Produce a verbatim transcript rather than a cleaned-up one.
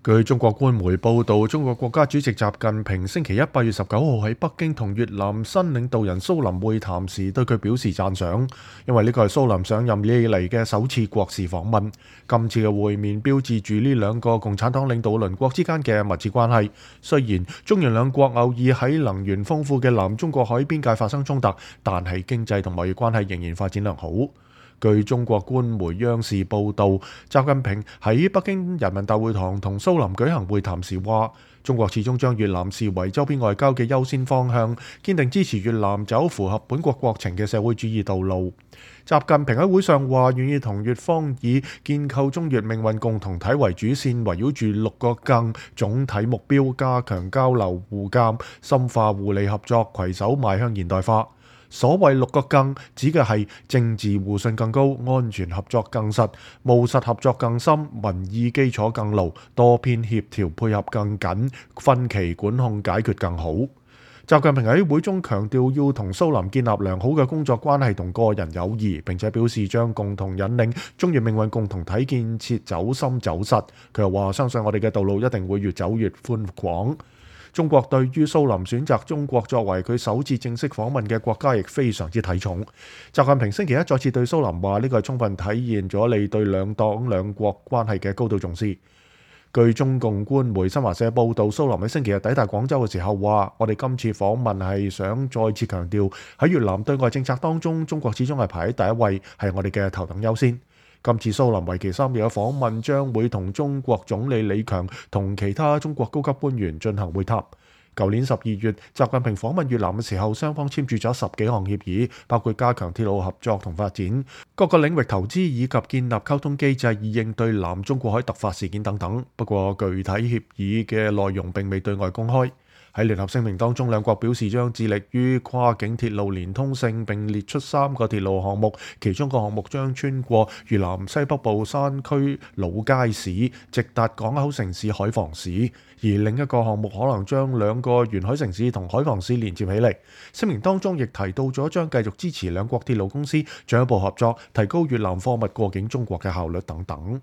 據中國官媒報導，中國國家主席習近平星期一八月十九號喺北京同越南新領導人蘇林會談時，對佢表示讚賞，因為呢個係蘇林上任以嚟嘅首次國事訪問。今次嘅會面標誌住呢兩個共產黨領導鄰國之間嘅密切關係。雖然中越兩國偶爾喺能源豐富嘅南中國海邊界發生衝突，但係經濟同貿易關係仍然發展良好。據中國官媒央視報導，習近平喺北京人民大會堂同蘇林舉行會談時話，中國始終將越南視為周邊外交嘅優先方向，堅定支持越南走符合本國國情嘅社會主義道路。習近平喺會上話，願意同越方以建構中越命運共同體為主線，圍繞住六個更總體目標，加強交流互鑑，深化互利合作，攜手邁向現代化。所謂六個更，指嘅係政治互信更高、安全合作更實、務實合作更深、民意基礎更牢、多邊協調配合更緊、分歧管控解決更好。習近平喺會中強調要同蘇林建立良好嘅工作關係同個人友誼，並且表示將共同引領中越命運共同體建設走深走實。佢又話：相信我哋嘅道路一定會越走越寬廣。中國對於蘇林選擇中國作為佢首次正式訪問嘅國家，亦非常之睇重。習近平星期一再次對蘇林話：呢個係充分體現咗你對兩黨兩國關係嘅高度重視。據中共官媒新華社報導，蘇林喺星期日抵達廣州嘅時候話：我哋今次訪問係想再次強調喺越南對外政策當中，中國始終係排喺第一位，係我哋嘅頭等優先。今次蘇林為期三日嘅訪問將會同中國總理李強同其他中國高級官員進行會談。舊年十二月，習近平訪問越南嘅時候，雙方簽署咗十幾項協議，包括加強鐵路合作同發展、各個領域投資以及建立溝通機制以應對南中國海突發事件等等。不過，具體協議嘅內容並未對外公開。喺聯合聲明當中，兩國表示將致力於跨境鐵路連通性，並列出三個鐵路項目，其中個項目將穿過越南西北部山區老街市，直達港口城市海防市；而另一個項目可能將兩個沿海城市同海防市連接起嚟。聲明當中亦提到咗將繼續支持兩國鐵路公司進一步合作，提高越南貨物過境中國嘅效率等等。